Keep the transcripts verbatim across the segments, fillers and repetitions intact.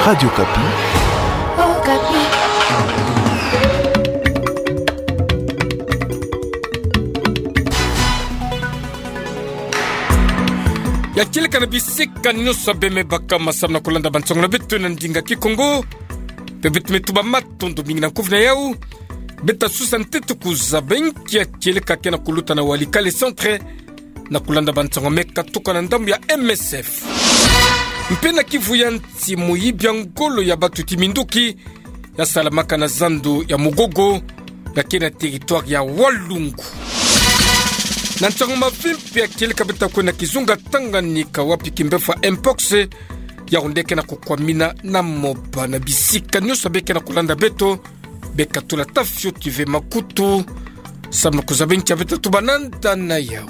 Radio Okapi. Okapi. Ya kieleka na bisika nyonso beme baka masamu na kulanda bansango na beto na ndinga Kikongo. Pe beto me tuba matondo mingi na nkufi na yau. Beto susa ntete kuzaba nkia kieleka ke na kuluta na Walikale Centre, na kulanda bansango me katuka na ndambu ya M S F. Mpe na kivu ya nsi, moyibi ya ngolo ya batu ti minduki ya salamaka na zandu ya Mugogo, ya ke na territoire ya Walungu. Na nsango mavimpi ya kieleka beto kwe na kizunga Tanganyika, wapi kimbefu ya mpox ya onde ke na kukwamina na moba na bisika nyonso. Be ke na kulanda beto, be katula ta fioti ve makutu, samu na kuzaba nkia beto tuba na nda na yau.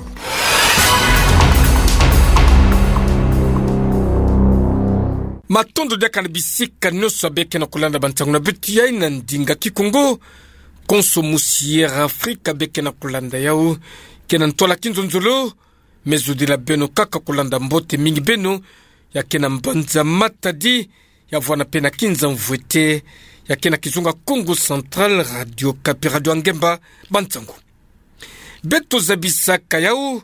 Matondo diaka na bisika nyonso be ke na kulanda bansango na beto yai na ndinga Kikongo. Konso musi Air Afrika be ke na kulanda yau, ke na ntwala kinzonzolo. Me zudila beno kaka kulanda mbote mingi beno ya ke na mbanza Matadi, ya vwanda mpe na Kinza Mvwete, ya ke na kizunga Kongo Central, Radio Okapi, radio ya ngemba bansango. Beto zabisaka yau,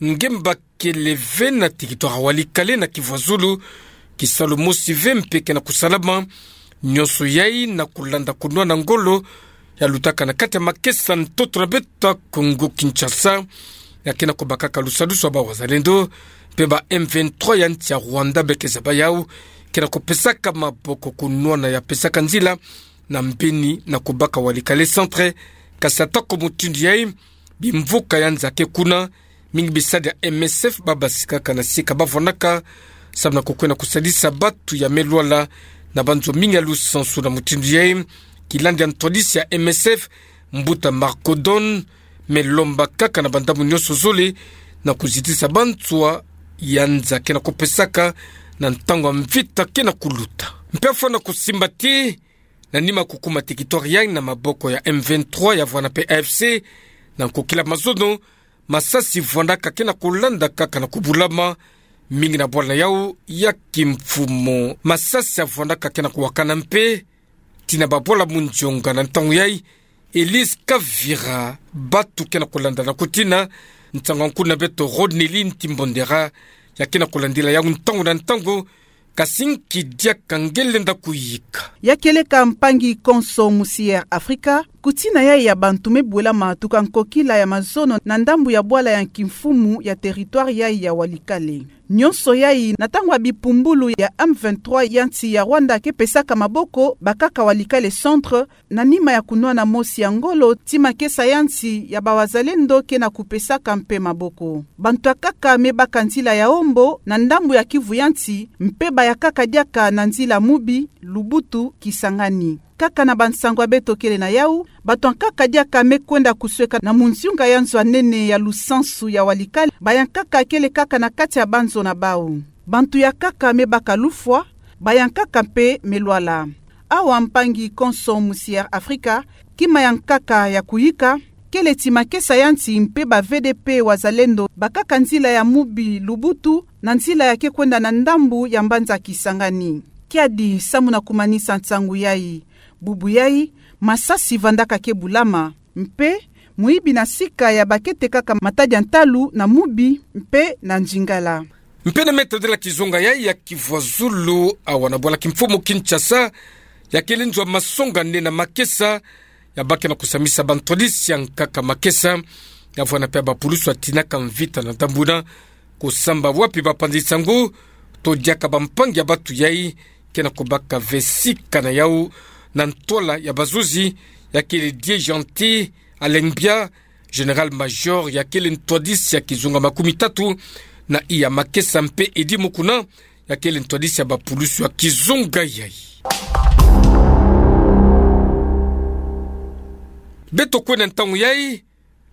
ngemba kele ve na territoire ya Walikale na kivu ya zulu, kisalu mosi ve mpe ke na kusalama, nyonso yai na kulanda kunwana ngolo ya lutaka na kati ya makesa ntoto na beto ya Kongo Kinshasa, ya ke na kubakaka lusadusu ya bawazalendo, mpe ba M vingt-trois ya nsi ya Rwanda, be ke zaba yau, ke na kupesaka maboko kunwana ya pesaka nzila na mbeni na kubaka Walikale Centre. Kasi atako mutindu yai, bimvuka ya nza ke kuna, mingi bisadi ya M S F babasikaka na sika bavwandaka, samu na kukwenda kusadisa batu ya me lwala na banzo mingi ya lusansu. Na mutindu yai, kilandi ya ntwadisi ya M S F, mbuta Marco Don, me lomba kaka na bandambu nyonso zole na kuzitisa banswa ya nza ke na kupesaka na ntango ya mvita ke na kuluta. Mpe afwa na kusimba ti, na nima kukuma territoire yai na maboko ya M vingt-trois ya vwanda mpe A F C, na nkokila mazono, masasi vwandaka ke na kulanda kaka na kubulama, mingi na bwala na yau ya kimfumu. Masasi ya vwandaka ke na kuwakana mpe tina babwala munzonga na ntango yai. Elise Kavira, batu ke na kulanda na kutina, nsangu ya nkulu na beto Rodneyline Timbondera, ya ke na kulandila yau ntangu na ntangu, kasi nki diaka ngelenda kuyika. Ya kieleka mpangi konso musi Air Afrika, kutina yai ya bantu me bwelama tuka nkokila ya mazono na ndambu ya bwala ya kimfumu ya territoire yai ya Walikale. Nyonso yai na ntangu ya bipumbulu ya M vingt-trois ya nsi ya Rwanda ke pesaka maboko bakaka Walikale Centre, na nima ya kunwana mosi ya ngolo ti makesa ya nsi ya bawazalendo ke na kupesaka mpe maboko. Bantu ya nkaka me baka nzila ya ombo na ndambu ya kivu ya nsi, mpe ba ya nkaka diaka na nzila Mubi, Lubutu, Kisangani. Kaka na bansangu ya beto kele na yau, bantu ya nkaka diaka me kwenda kusweka na munzunga ya nzo ya nene ya lusansu ya Walikale, ba ya nkaka kele kaka na kati ya banzo na bau. Bantu ya nkaka me baka lufwa, ba ya nkaka mpe me lwala. Awa mpangi konso musi Air Afrika, kima ya nkaka ya kuyika kele ti makesa ya nsi mpe ba V D P Wazalendo bakaka nzila ya Mubi, Lubutu, na nzila ya ke kwenda na ndambu ya mbanza Kisangani. Kiadi samu na kumanisa nsangu yai. Bubu yai, masasi vandaka ke bulama, mpe muibi na sika ya ba ke tekaka matadi ya ntalu na Mubi mpe na Nzingala. Mpe na meta de la kizunga yai ya Kivu ya Zulu, awa na bwala kimfumu Kinshasa, ya kele nzo ya masonga nde na makesa, ya ba ke na kusamisa bantwadisi ya nkaka makesa, ya vwanda mpe ya bapulusu ya tinaka mvita na ndambu na kusamba wapi bapanzi nsangu, to diaka bampangi ya batu yai, ke na kubaka ve sika na yau, na ntwala ya bazuzi, ya kele Die Gentil Alengbia, Général-major ya kele ntwadisi ya kizunga makumi tatu na iya makesa mpe Eddy Mukuna ya kele ntwadisi ya bapulusu ya kizunga yai. Beto kwenda ntangu yai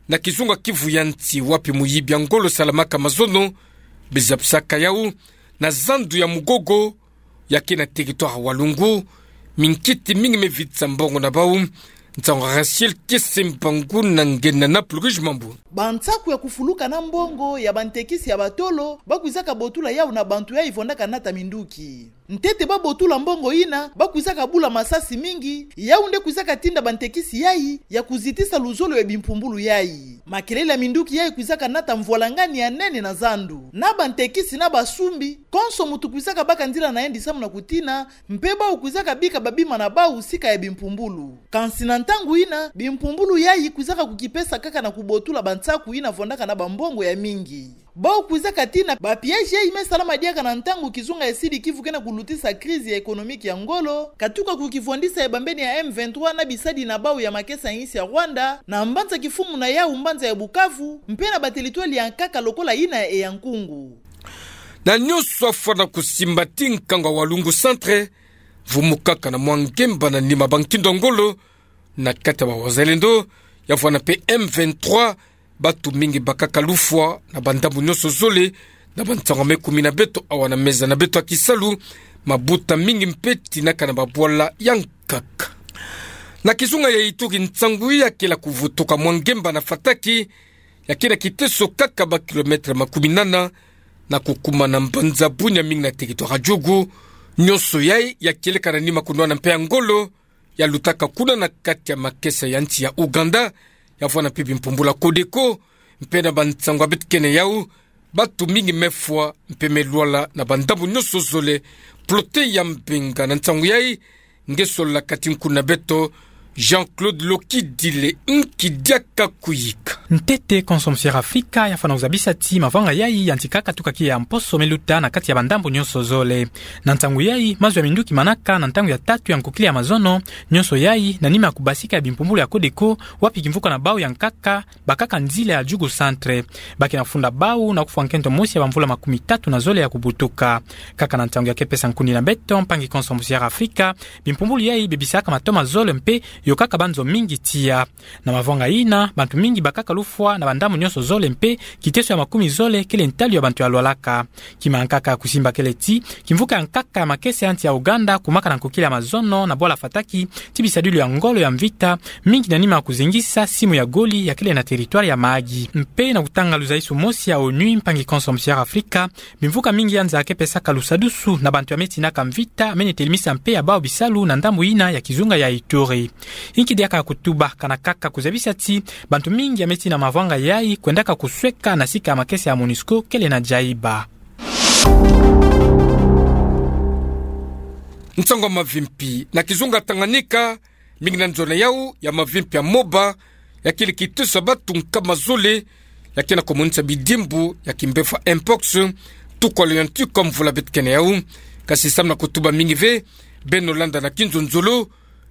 na kizunga Kivu ya Nsi wapi muyibi ya ngolo salamaka mazono, biza bisaka yau na zandu ya Mugogo, ya ke na territoire Walungu, minkiti mingi me vitisa mbongo na bau, Nsangu Rachel Kiese Mpangu na nge na Napluge Mambu. Bansaku ya kufuluka na mbongo ya bantekisi ya batolo, ba kwizaka botula yau na bantu yayi vondaka nata minduki. Ntete ba botula mbongo yina, ba kwizaka bula masasi mingi, yau nde kwizaka tinda bantekisi yayi ya kuzitisa luzolo ya bimpumbulu yayi. Makelele ya minduki yayi kwizaka nata mvwalangani ya nene na zandu. Na bantekisi na basumbi, konso muntu kwizaka baka nzila na yandi samu na kutina, mpe bau kwizaka bika babima na bau sika ya bimpumbulu. Kansi na ntangu yina, bimpumbulu yayi kwizaka kukipesa kaka na kubotula bansaku yina vondaka na bambongo ya mingi. Bau kwizaka tina, ba piège yayi me salama diaka na ntangu kizunga ya Sud Kivu ke na kulutisa crise ya économique ya ngolo, katuka kukivwandisa ya bambeni ya M vingt-trois na bisadi na bau ya makesa ya insi ya Rwanda, na mbanza kifumu na yau mbanza ya Bukavu, mpe na bateritwali ya nkaka lokola yina ya Eyankungu. Na nyonso afwana kusimba ti nkangu ya Walungu Centre, vumu kaka na mwa ngemba na nima ba nkindo ngolo, na kati ya ba wazalendo, ya vwana mpe M vingt-trois, bantu mingi bakaka lufwa na bandambu nyonso zole, na bansangu me kumi na beto awa na meza na beto ya kisalu, mabuta mingi mpe tinaka na babwala ya nkaka. Na kizunga ya Ituri nsangu ya kela kuvutuka mwa ngemba na Fataki, ya kena kiteso kaka ba kilomètre makumi nana, na kukuma na mbanza Bunia mingi na territoire ya Djugu, nyonso yayi ya kieleka na nima kunwana mpe ya ngolo, ya lutaka kuna na kati ya makesa ya nsi ya Ouganda, ya vwana mpe bimpumbulu ya Codeco, mpe na bansangu ya beto kena yau, bantu mingi me fwa, mpe me lwala na bandambu nyonso zole, plote ya mbenga na nsangu yayi, nge solola kati nkuna beto, Jean-Claude Lokidile nki diaka kuyika. Ntete, Konso Musiere Afrika ya fwana kuzabisa ti mavanga yayi ya ntikaka tuka ki ya mposo me luta na kati ya bandambu nyonso zole. Na nsangu yayi, mazu ya minduki manaka na ntangu ya tatu ya nkukila ya mazono, nyonso yayi, na nima ya kubasika ya bimpumbulu ya Codeco, wapi kimvuka na bau ya nkaka, bakaka nzila ya Djugu Centre. Ba ke na funda bau na kufwa nkento mosi ya bamvula makumi tatu na zole ya kubutuka. Kaka na ntangu ya ke pesa nkuni na beto, mpangi Konso Musiere Afrika, bimpumbulu yayi bebisaka matoma zole mpe yokaka banzo mingi tiya. Na mavanga yina, bantu mingi bakaka lufwa na bandambu nyonso zole mpe kiteso ya makumi zole kele ntalu ya bantu ya lwalaka. Kima ya nkaka ya kusimba kele ti, kimvuka ya nkaka ya makesa ya nsi ya Ouganda kumaka na nkukila ya mazono na bwala Fataki, ti bisadilu ya ngolo ya mvita, mingi na nima ya kuzingisa simu ya goli ya kele na territoire ya Mahagi. Mpe na kutanga luzaisu mosi ya ONU, mpangi Konso Musiere Afrika, bimvuka mingi ya nza ke pesaka lusadusu na bantu ya me tinaka mvita, me ne telimisa mpe ya bau bisalu na ndambu yina ya kizunga ya Ituri. Nki diaka kutuba, kana kaka kuzabisa ti bantu mingi ya me tina mavanga yayi kwendaka kusweka na sika ya makesa ya MONUSCO kele na Djaïba. Nsangu ya mavimpi na kizunga Tanganyika, mingi na nzona yau ya mavimpi ya moba, ya kele kiteso ya bantu nkama zole, ya kena kumonisa bidimbu ya kimbevo ya mpox, tuku ya leon tuku ya mvula beto kena yau. Kasi samu na kutuba mingi ve, beno landa na kinzonzolo,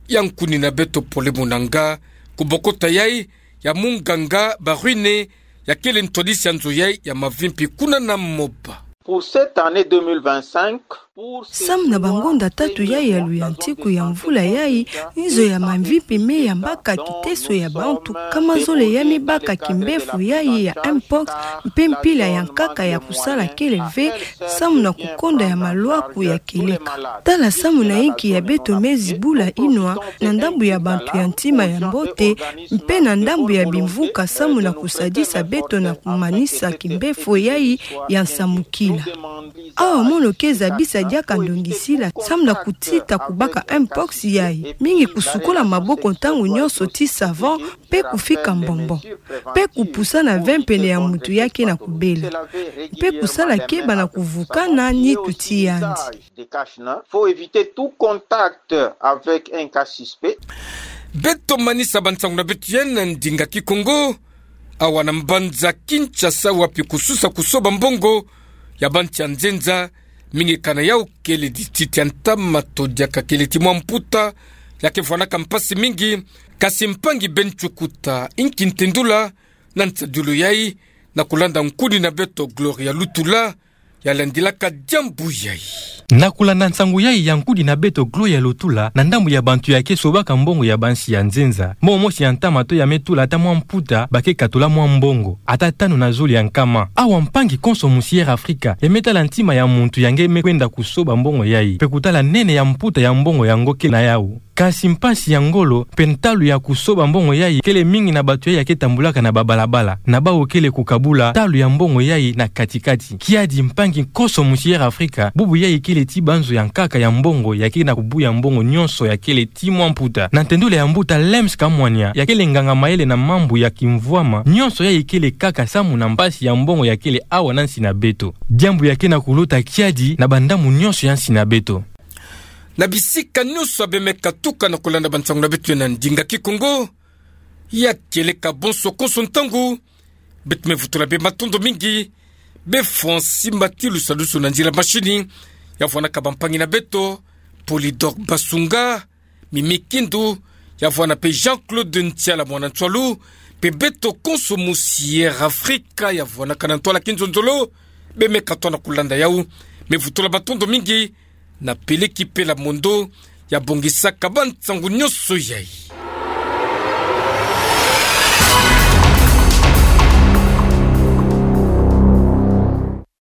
ya nkuni na beto Pole Munanga, kubokota yayi ya munganga Barwine, ya kele ntwadisi ya nzo yayi ya mavimpi kuna na moba. Pour cette année deux mille vingt-cinq, pour ce... Samu na bangonda tatu yayi ya luyantiku ya mvula yayi, nzo ya mavimpi me yambaka kiteso ya bantu nkama zole ya me baka kimbevo yayi ya mpox, mpe mpila ya nkaka ya kusala kele ve, samu na kukonda ya malwaku ya kieleka. Tala samu na inki ya beto me zibula inwa na ndambu ya bantu ya ntima ya mbote, mpe na ndambu ya bimvuka samu na kusadisa beto na kumanisa kimbevo yayi ya nsamukila. Awa mono ke zabisa diaka ndongisila samu na kutita kubaka mpox yayi. Mingi kusukola maboko ntangu nyonso ti savon, mpe kufika mbombo, mpe kupusa na ve pene ya muntu ya ke na kubela, mpe kusala keba na kuvukana nitu ti yandi. Faut éviter tout contact avec un cas suspect. Beto manisa bansangu na beto yayi na ndinga Kikongo, awa na mbanza Kinshasa, wapi kususa kusoba mbongo ya bantu ya nzenza, mingi kana yau kele dititi ya ntama to diaka kele ti mwa mputa ya ke vwanaka mpasi mingi. Kasi mpangi Ben Chukuta, inki ntendula na nsadilu yayi, na kulanda nkuni na beto Gloria Lutula, ya landilaka diambu yayi. Na kulanda nsangu yayi ya nkuni na beto Gloria Lutula, na ndambu ya bantu ya ke sobaka mbongo ya bansi ya nzenza, momo mosi ya ntama to ya me tula ata mwa mputa, ba ke katula mwa mbongo ata tanu na zole ya nkama. Awa mpangi konso musi Air Africa ya me tala ntima ya muntu ya nge me kwenda kusoba mbongo yayi, mpe kutala nene ya mputa ya mbongo yango ke na yau. Kasi mpasi ya ngolo mpe ntalu ya kusoba mbongo yayi kele mingi na bato yayi ake tambulaka na babalabala, na bawu kele kukabula ntalu ya mbongo yayi na kati-kati. Kiadi mpangi konso musi Air Africa, bubu yayi kele ti banzo ya nkaka ya mbongo, ya kele na kubuya mbongo nyonso ya kele ti mwa mputa. Na ntendula ya mbuta Lems Kamwania, ya kele nganga-mayele na mambu ya kimvwama, nyonso yayi kele kaka samu na mpasi ya mbongo ya kele awa na nsi na beto. Diambu ya ke na kulota kiadi na bandamu nyonso ya nsi na beto. Na bisika nyonso ya bemeka tuka na kulanda bansangu na beto ya na ndinga Kikongo, ya kieleka bonso konso ntangu, beto me vutula bê matondo mingi bê Francis Mbatilu Salusu na nzila mashini, ya vwanaka bampangi na beto, Polydor Basunga, Mimi Kindu, ya vwana mpe Jean-Claude Ntiala mwana Ntsoalu, mpe beto konso musi Air Africa, ya vwanaka na ntwala kinzonzolo, bemeka twa na kulanda yawu. Me vutula matondo mingi na Peleki Pela Mondo, ya bongisaka bansangu nyonso yayi.